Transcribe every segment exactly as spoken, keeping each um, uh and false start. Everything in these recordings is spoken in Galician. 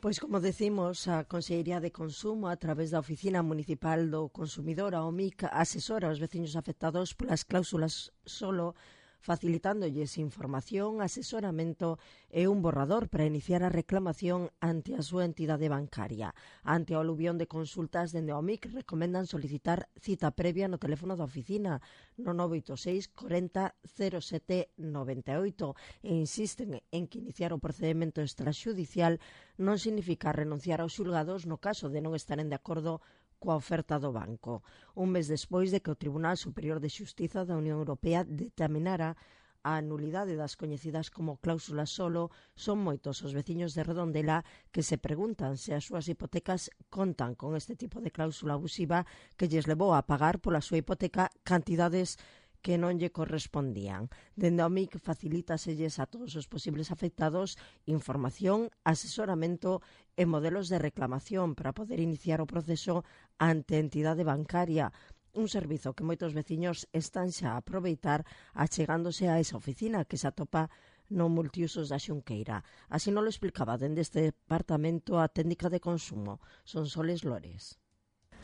Pois, como decimos, a Consellería de Consumo, a través da Oficina Municipal do Consumidor, a O M I C, asesora aos veciños afectados polas cláusulas solo, facilitándolles información, asesoramento e un borrador para iniciar a reclamación ante a súa entidade bancaria. Ante a aluvión de consultas, dende a O M I C recomendan solicitar cita previa no teléfono da oficina no nove oito seis cuarenta cero sete noventa e oito e insisten en que iniciar o procedimento extraxudicial non significa renunciar aos xulgados no caso de non estaren de acordo coa oferta do banco. Un mes despois de que o Tribunal Superior de Xustiza da Unión Europea determinara a nulidade das coñecidas como cláusulas solo, son moitos os veciños de Redondela que se preguntan se as súas hipotecas contan con este tipo de cláusula abusiva que lles levou a pagar pola súa hipoteca cantidades que non lle correspondían. Dende a O M I C facilítaselles a todos os posibles afectados información, asesoramento e modelos de reclamación para poder iniciar o proceso ante a entidade bancaria, un servizo que moitos veciños están xa a aproveitar achegándose a esa oficina que se atopa no multiusos da Xunqueira. Así non lo explicaba dende este departamento a técnica de consumo, Sonsoles Lores.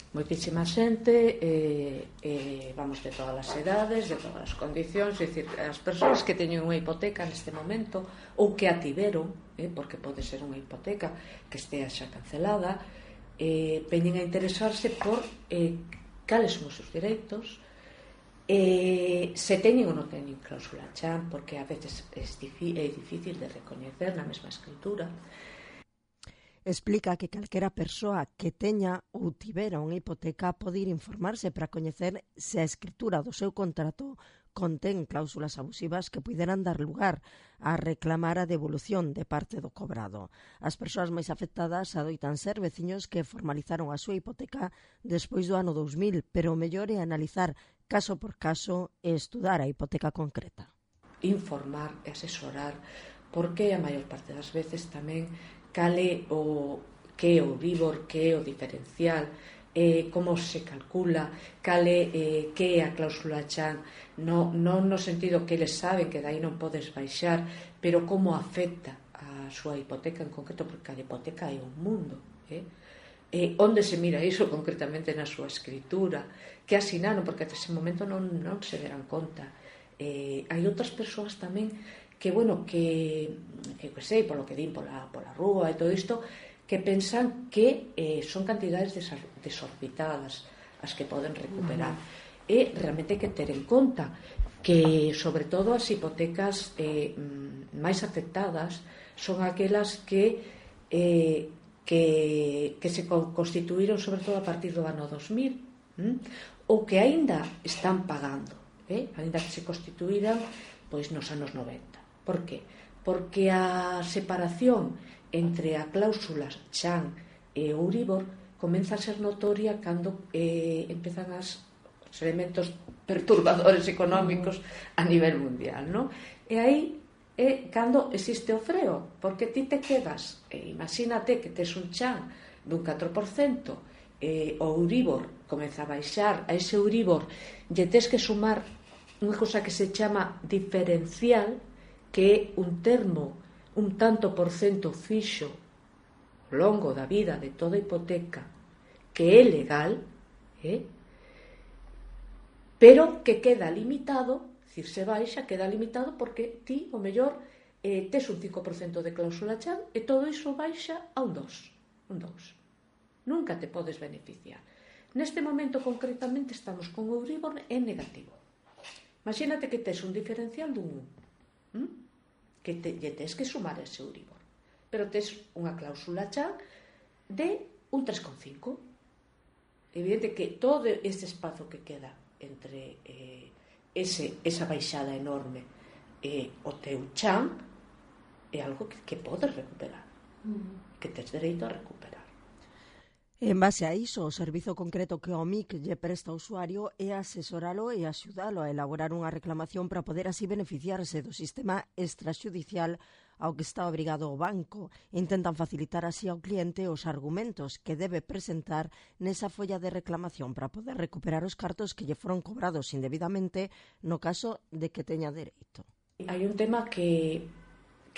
Moitísima xente, eh, eh, vamos, de todas as edades, de todas as condicións, é dicir, as persoas que teñen unha hipoteca neste momento ou que a tiveron, eh, porque pode ser unha hipoteca que estea xa cancelada, eh, veñen a interesarse por eh, cales son os seus direitos, eh, se teñen ou non teñen cláusula chan, porque a veces é difícil de recoñecer na mesma escritura. Explica que calquera persoa que teña ou tivera unha hipoteca pode ir informarse para coñecer se a escritura do seu contrato contén cláusulas abusivas que puderan dar lugar a reclamar a devolución de parte do cobrado. As persoas máis afectadas adoitan ser veciños que formalizaron a súa hipoteca despois do ano dous mil, pero o mellor é analizar caso por caso e estudar a hipoteca concreta. Informar e asesorar, porque a maior parte das veces tamén cale o que é o Euribor, que é o diferencial, eh, como se calcula, cale eh, que é a cláusula chan, no, non no sentido que eles saben que dai non podes baixar, pero como afecta a súa hipoteca en concreto, porque a hipoteca é un mundo, eh? Eh, onde se mira iso concretamente na súa escritura, que asinaron, porque até ese momento non, non se deran conta. Eh, hai outras persoas tamén que, bueno, que, que, que sei, polo que din pola, pola rúa e todo isto, que pensan que eh, son cantidades desorbitadas as que poden recuperar. Uh-huh. E realmente hai que ter en conta que, sobre todo, as hipotecas eh, máis afectadas son aquelas que, eh, que, que se constituíron, sobre todo, a partir do ano dos mil, hm? ou que aínda están pagando, eh? aínda que se constituíran pois nos anos noventa. Por que? Porque a separación entre a cláusula chan e o Euribor comeza a ser notoria cando eh, empezan as, os elementos perturbadores económicos a nivel mundial, non? E aí é cando existe o freo, porque ti te quedas, eh, imagínate que tes un chan dun catro por cento, eh, o Euribor comeza a baixar, a ese Euribor lle tes que sumar unha cosa que se chama diferencial, que é un termo un tanto por cento fixo ao longo da vida de toda hipoteca que é legal, eh? pero que queda limitado, dicir, se baixa, queda limitado porque ti, o mellor, eh, tes un cinco por cento de cláusula chan e todo iso baixa a un dos por cento. Un dos por cento. Nunca te podes beneficiar. Neste momento, concretamente, estamos con o Euribor en negativo. Imagínate que tes un diferencial dun un. ¿Mm? Que te, lle tes que sumar ese Euribor, pero tes unha cláusula chan de un tres coma cinco. Evidente que todo este espazo que queda entre eh, ese, esa baixada enorme e eh, o teu chan é algo que, que podes recuperar, mm. que tes dereito a recuperar. En base a iso, o servizo concreto que o M I C lle presta ao usuario é asesoralo e axudalo a elaborar unha reclamación para poder así beneficiarse do sistema extraxudicial ao que está obrigado o banco. Intentan facilitar así ao cliente os argumentos que debe presentar nesa folla de reclamación para poder recuperar os cartos que lle foron cobrados indebidamente no caso de que teña dereito. Hai un tema que,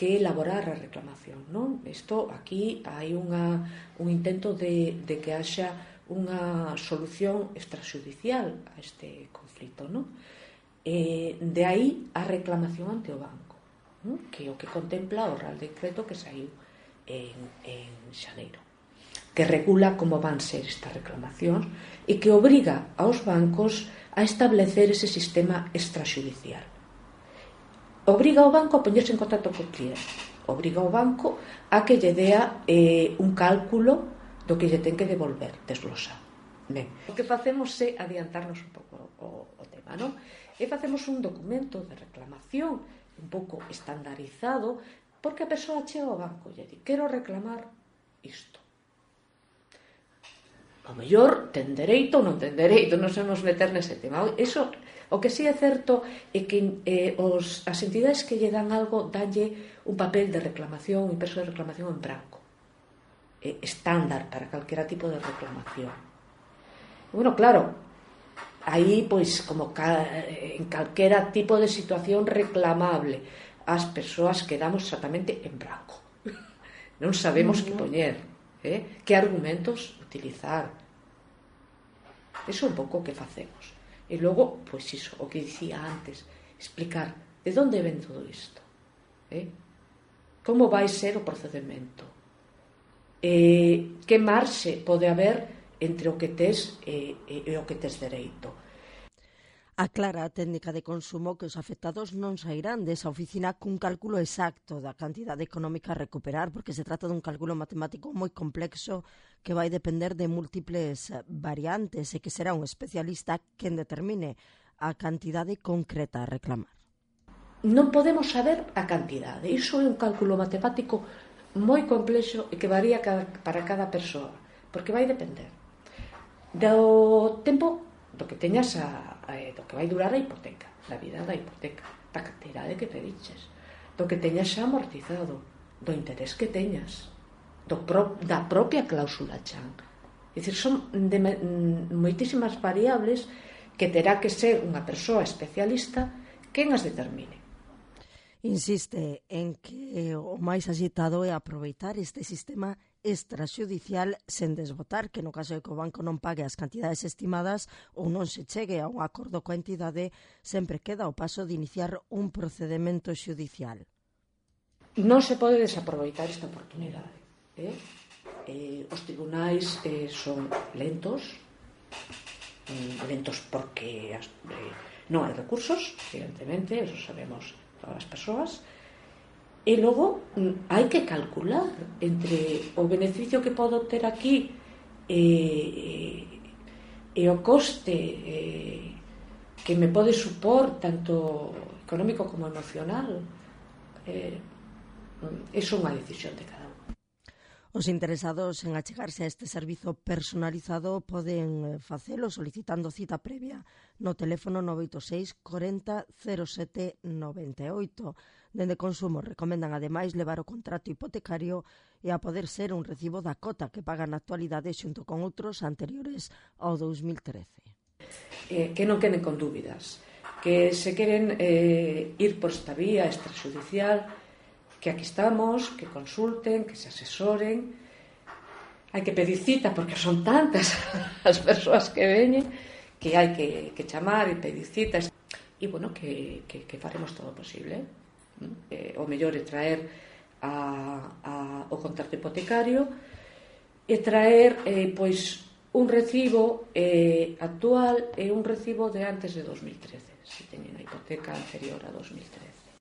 que elaborar a reclamación, non? Isto, aquí hai unha, un intento de, de que haxa unha solución extrajudicial a este conflito, non? Eh, de aí a reclamación ante o banco, non? Que é o que contempla o Real Decreto que saiu en, en xaneiro, que regula como van ser estas reclamacións e que obriga aos bancos a establecer ese sistema extrajudicial. Obriga ao banco a poñerse en contacto co cliente, obriga ao banco a que lle dea eh, un cálculo do que lle ten que devolver, desglosar. Ben, o que facemos é adiantarnos un pouco o, o tema, non? E facemos un documento de reclamación un pouco estandarizado, porque a persoa chega ao banco e lle di, quero reclamar isto. O mellor ten dereito ou non ten dereito, non sabemos meter nese tema. Eso, o que sí é certo é que eh, os, as entidades que lle dan algo danlle un papel de reclamación, un impreso de reclamación en branco, eh, estándar para calquera tipo de reclamación. Bueno, claro, aí, pois, como ca, en calquera tipo de situación reclamable, as persoas quedamos exactamente en branco. Non sabemos que poñer, eh? que argumentos utilizar. Eso é un pouco o que facemos. E logo, pois iso, o que dicía antes, explicar de onde ven todo isto, eh? como vai ser o procedimento, eh, que marxe pode haber entre o que tes e, e, e o que tes dereito. Aclara a técnica de consumo que os afectados non sairán desa oficina cun cálculo exacto da cantidade económica a recuperar, porque se trata dun cálculo matemático moi complexo que vai depender de múltiples variantes e que será un especialista quen determine a cantidade concreta a reclamar. Non podemos saber a cantidade. Iso é un cálculo matemático moi complexo e que varía para cada persoa, porque vai depender do tempo do que teñas a, a, do que vai durar a hipoteca, da vida da hipoteca, da cantidade que pediches, do que teñas xa amortizado, do interés que teñas, do pro, da propia cláusula chan. É dicir, son de, moitísimas variables que terá que ser unha persoa especialista quen as determine. Insiste en que o máis axitado é aproveitar este sistema extrajudicial sen desbotar, que no caso de que o banco non pague as cantidades estimadas ou non se chegue a un acordo coa entidade, sempre queda o paso de iniciar un procedimento xudicial. Non se pode desaproveitar esta oportunidade. Eh? Eh, os tribunais eh, son lentos, eh, lentos porque as, eh, non hai recursos, evidentemente, eso sabemos todas as persoas. E logo hai que calcular entre o beneficio que podo ter aquí e, e o coste e, que me pode supor tanto económico como emocional. Eh, iso é unha decisión de cada un. Os interesados en achegarse a este servizo personalizado poden facelo solicitando cita previa no teléfono nove oito seis corenta cero sete noventa e oito. Dende Consumo recomendan ademais levar o contrato hipotecario e a poder ser un recibo da cota que pagan na actualidade xunto con outros anteriores ao dous mil trece. Eh, que non queden con dúbidas, que se queren eh, ir por esta vía extrajudicial, que aquí estamos, que consulten, que se asesoren. Hai que pedir cita porque son tantas as persoas que veñen que hai que, que chamar e pedir citas. E, bueno, que, que, que faremos todo o posible. Eh, o mellor é traer a, a, o contrato hipotecario e traer eh, pois un recibo eh, actual e un recibo de antes de dos mil trece, se teñen a hipoteca anterior a dos mil trece.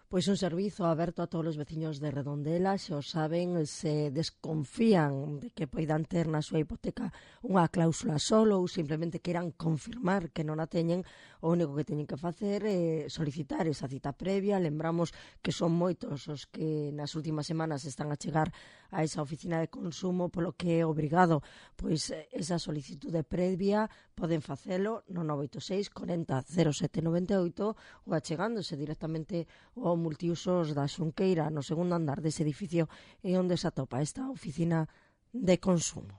Pois un servizo aberto a todos os veciños de Redondela, se o saben, se desconfían de que poidan ter na súa hipoteca unha cláusula solo ou simplemente queiran confirmar que non a teñen, o único que teñen que facer é solicitar esa cita previa. Lembramos que son moitos os que nas últimas semanas están a chegar a esa oficina de consumo, polo que é obrigado pois esa solicitude previa. Poden facelo no nove oito seis corenta cero sete noventa e oito ou achegándose directamente ao multiusos da Xunqueira, no segundo andar dese edificio, e onde se atopa esta oficina de consumo.